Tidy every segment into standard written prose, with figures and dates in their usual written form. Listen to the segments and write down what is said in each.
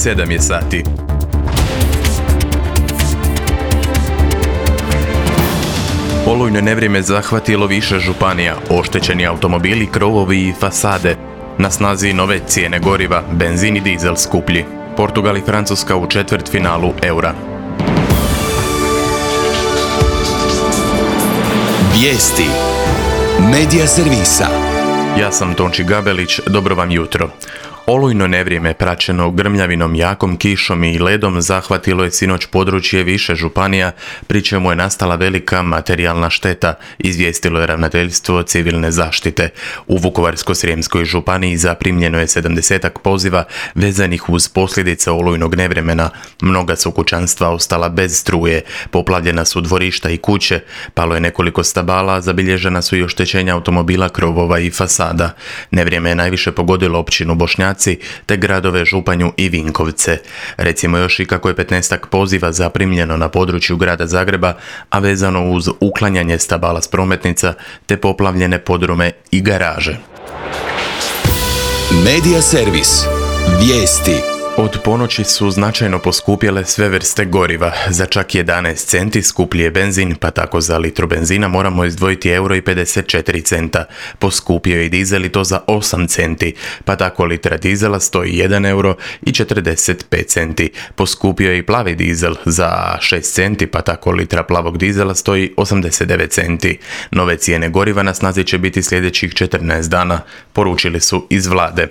7 je sati. Olujno nevrijeme zahvatilo više županija, oštećeni automobili, krovovi i fasade. Na snazi nove cijene goriva, benzin i dizel skuplji. Portugal i Francuska u četvrtfinalu eura. Vijesti Medija servisa. Ja sam Tonči Gabelić, dobro vam jutro. Olujno nevrijeme praćeno grmljavinom, jakom kišom i ledom zahvatilo je sinoć područje više županija, pri čemu je nastala velika materijalna šteta, izvijestilo je Ravnateljstvo civilne zaštite. U Vukovarsko-srijemskoj županiji zaprimljeno je 70-ak poziva vezanih uz posljedice olujnog nevremena. Mnoga su kućanstva ostala bez struje, poplavljena su dvorišta i kuće, palo je nekoliko stabala, zabilježena su i oštećenja automobila, krovova i fasada. Nevrijeme je najviše pogodilo općinu Bošnjaci te gradove Županju i Vinkovce. Recimo još i kako je 15-ak poziva zaprimljeno na području grada Zagreba, a vezano uz uklanjanje stabala s prometnica te poplavljene podrume i garaže. Medija servis. Vijesti. Od ponoći su značajno poskupjele sve vrste goriva. Za čak 11 centi skuplji je benzin, pa tako za litru benzina moramo izdvojiti €1,54. Poskupio je i dizel i to za 8 centi, pa tako litra dizela stoji €1,45. Poskupio je i plavi dizel za 6 centi, pa tako litra plavog dizela stoji 89 centi. Nove cijene goriva na snazi će biti sljedećih 14 dana, poručili su iz vlade.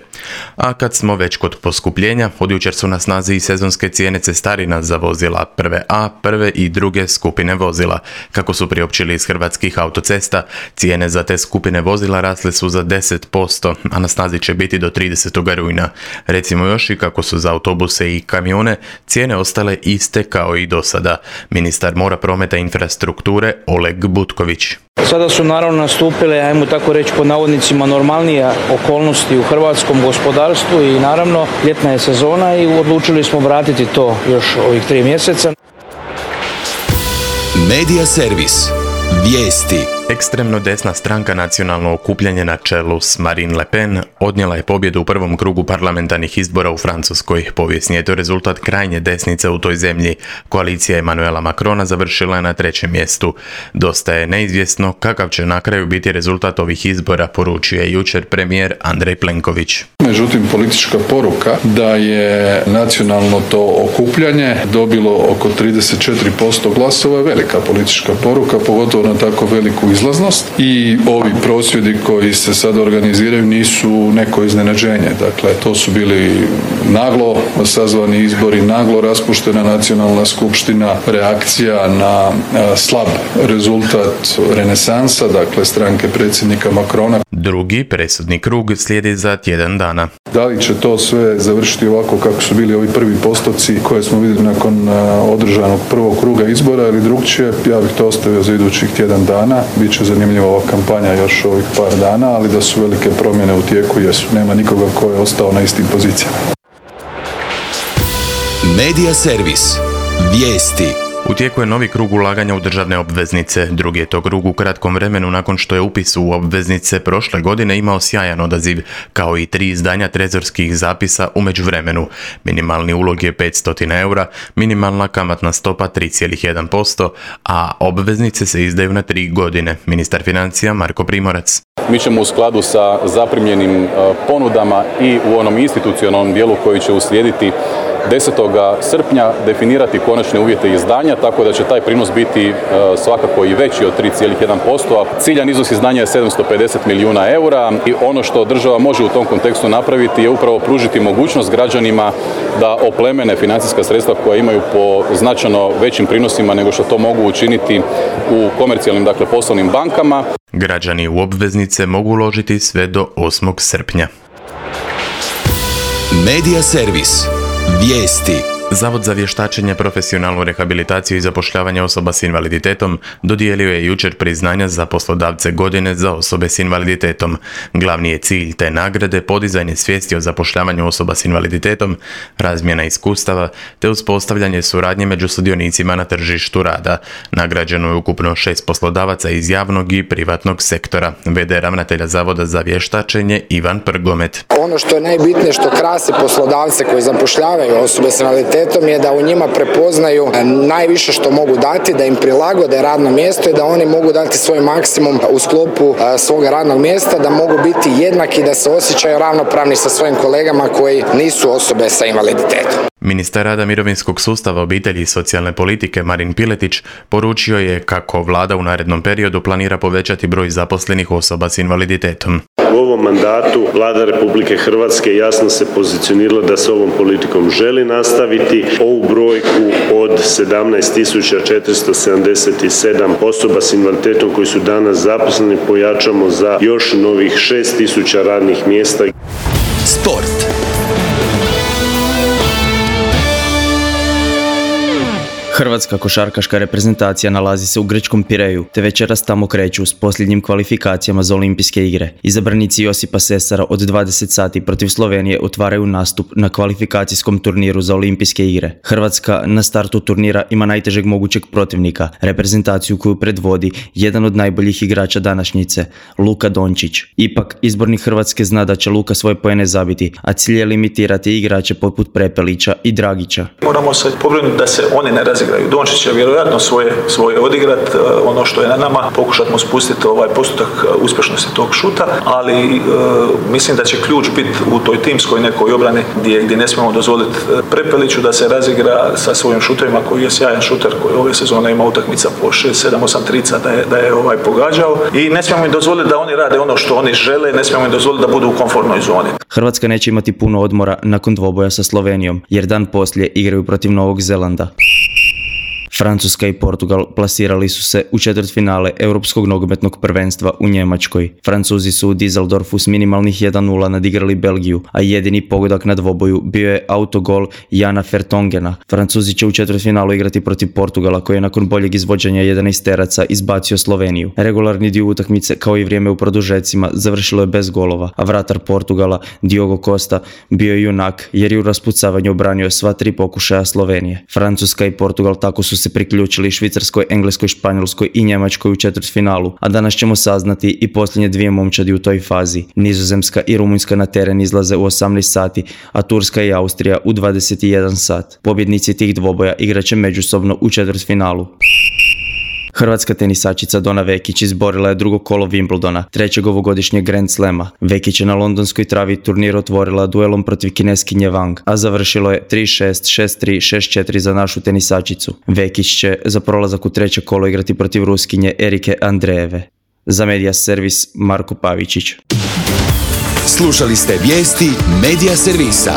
A kad smo već kod poskupljenja, od jučer su na snazi i sezonske cijene cestarina za vozila prve A, prve i druge skupine vozila. Kako su priopćili iz Hrvatskih autocesta, cijene za te skupine vozila rasle su za 10%, a na snazi će biti do 30. rujna. Recimo još i kako su za autobuse i kamione cijene ostale iste kao i do sada. Ministar mora, prometa i infrastrukture Oleg Butković. Sada su naravno nastupile, ajmo tako reći po navodnicima, normalnije okolnosti u hrvatskom gospodarstvu i naravno ljetna je sezona i odlučili smo vratiti to još ovih 3 mjeseca. Medija servis. Vijesti. Ekstremno desna stranka Nacionalno okupljanje na čelu s Marine Le Pen odnijela je pobjedu u prvom krugu parlamentarnih izbora u Francuskoj. Povijesni je to rezultat krajnje desnice u toj zemlji. Koalicija Emmanuela Macrona završila je na 3. mjestu. Dosta je neizvjesno kakav će na kraju biti rezultat ovih izbora, poručio je jučer premijer Andrej Plenković. Međutim, politička poruka da je nacionalno to okupljanje dobilo oko 34% glasova je velika politička poruka, pogotovo na tako veliku izlaznost, i ovi prosvjedi koji se sad organiziraju nisu neko iznenađenje. Dakle, to su bili naglo sazvani izbori, naglo raspuštena nacionalna skupština, reakcija na slab rezultat renesansa, dakle stranke predsjednika Macrona. Drugi presudni krug slijedi za tjedan dana. Da li će to sve završiti ovako kako su bili ovi prvi postoci koje smo vidjeli nakon održanog prvog kruga izbora ili drugčije, ja bih to ostavio za idućih tjedan dana. Biće zanimljiva ova kampanja još ovih par dana, ali da su velike promjene u tijeku jesu. Nema nikoga ko je ostao na istim pozicijama. Medija servis. Vijesti. U tijeku je novi krug ulaganja u državne obveznice. Drugi je to krug u kratkom vremenu nakon što je upis u obveznice prošle godine imao sjajan odaziv, kao i 3 izdanja trezorskih zapisa u međuvremenu. Minimalni ulog je €500, minimalna kamatna stopa 3,1%, a obveznice se izdaju na 3 godine. Ministar financija Marko Primorac. Mi ćemo u skladu sa zaprimljenim ponudama i u onom institucionalnom dijelu koji će uslijediti 10. srpnja definirati konačne uvjete izdanja, tako da će taj prinos biti svakako i veći od 3,1%, a ciljan iznos izdanja je 750 milijuna eura i ono što država može u tom kontekstu napraviti je upravo pružiti mogućnost građanima da oplemene financijska sredstva koja imaju po značajno većim prinosima nego što to mogu učiniti u komercijalnim, dakle poslovnim bankama. Građani u obveznice mogu uložiti sve do 8. srpnja. Medija servis. Vijesti. Zavod za vještačenje, profesionalnu rehabilitaciju i zapošljavanje osoba s invaliditetom dodijelio je jučer priznanja za poslodavce godine za osobe s invaliditetom. Glavni je cilj te nagrade podizanje svijesti o zapošljavanju osoba s invaliditetom, razmjena iskustava te uspostavljanje suradnje među sudionicima na tržištu rada. Nagrađeno je ukupno 6 poslodavaca iz javnog i privatnog sektora. V.d. ravnatelja Zavoda za vještačenje Ivan Prgomet. Ono što je najbitnije, što krasi poslodavce koji zapošljavaju osobe s invaliditetom, je da u njima prepoznaju najviše što mogu dati, da im prilagode radno mjesto i da oni mogu dati svoj maksimum u sklopu svog radnog mjesta, da mogu biti jednaki, da se osjećaju ravnopravni sa svojim kolegama koji nisu osobe sa invaliditetom. Ministar rada, mirovinskog sustava, obitelji i socijalne politike Marin Piletić poručio je kako vlada u narednom periodu planira povećati broj zaposlenih osoba s invaliditetom. U ovom mandatu Vlada Republike Hrvatske jasno se pozicionirala da se ovom politikom želi nastaviti. Ovu brojku od 17.477 osoba s invaliditetom koji su danas zaposleni pojačamo za još novih 6.000 radnih mjesta. Sport. Hrvatska košarkaška reprezentacija nalazi se u grčkom Pireju, te večeras tamo kreću s posljednjim kvalifikacijama za olimpijske igre. Izabranici Josipa Sesara od 20 sati protiv Slovenije otvaraju nastup na kvalifikacijskom turniru za olimpijske igre. Hrvatska na startu turnira ima najtežeg mogućeg protivnika, reprezentaciju koju predvodi jedan od najboljih igrača današnjice, Luka Dončić. Ipak, izbornik Hrvatske zna da će Luka svoje poene zabiti, a cilj je limitirati igrače poput Prepelića i Dragića. Moramo se pobrinuti da se oni ne razigraju. Dončić će vjerojatno svoje odigrat, ono što je na nama, pokušati mu spustiti ovaj postotak uspješnosti tog šuta, ali mislim da će ključ biti u toj timskoj nekoj obrani gdje ne smijemo dozvoliti Prepeliću da se razigra sa svojim šutovima, koji je sjajan šuter koji ove sezone ima utakmica po 6, 7, 8 trica da je pogađao, i ne smijemo im dozvoliti da oni rade ono što oni žele, ne smijemo im dozvoliti da budu u komfortnoj zoni. Hrvatska neće imati puno odmora nakon dvoboja sa Slovenijom, jer dan poslije igraju protiv Novog Zelanda. Francuska i Portugal plasirali su se u četvrtfinale Europskog nogometnog prvenstva u Njemačkoj. Francuzi su u Düsseldorfu s minimalnih 1:0 nadigrali Belgiju, a jedini pogodak na dvoboju bio je autogol Jana Vertongena. Francuzi će u četvrtfinalu igrati protiv Portugala, koji je nakon boljeg izvođenja 11-teraca izbacio Sloveniju. Regularni dio utakmice, kao i vrijeme u produžecima, završilo je bez golova, a vratar Portugala, Diogo Costa, bio je junak jer je u raspucavanju obranio sva 3 pokušaja Slovenije. Francuska i Portugal tako su se priključili Švicarskoj, Engleskoj, Španjolskoj i Njemačkoj u četvrtfinalu, a danas ćemo saznati i posljednje 2 momčadi u toj fazi. Nizozemska i Rumunjska na teren izlaze u 18 sati, a Turska i Austrija u 21 sat. Pobjednici tih dvoboja igraće međusobno u četvrtfinalu. Hrvatska tenisačica Dona Vekić izborila je drugo kolo Wimbledona, 3. ovogodišnjeg Grand Slama. Vekić je na londonskoj travi turnir otvorila duelom protiv Kineskinje Wang, a završilo je 3-6, 6-3, 6-4 za našu tenisačicu. Vekić će za prolazak u 3. kolo igrati protiv Ruskinje Erike Andrejeve. Za Media Servis, Marko Pavičić. Slušali ste vijesti Media Servisa.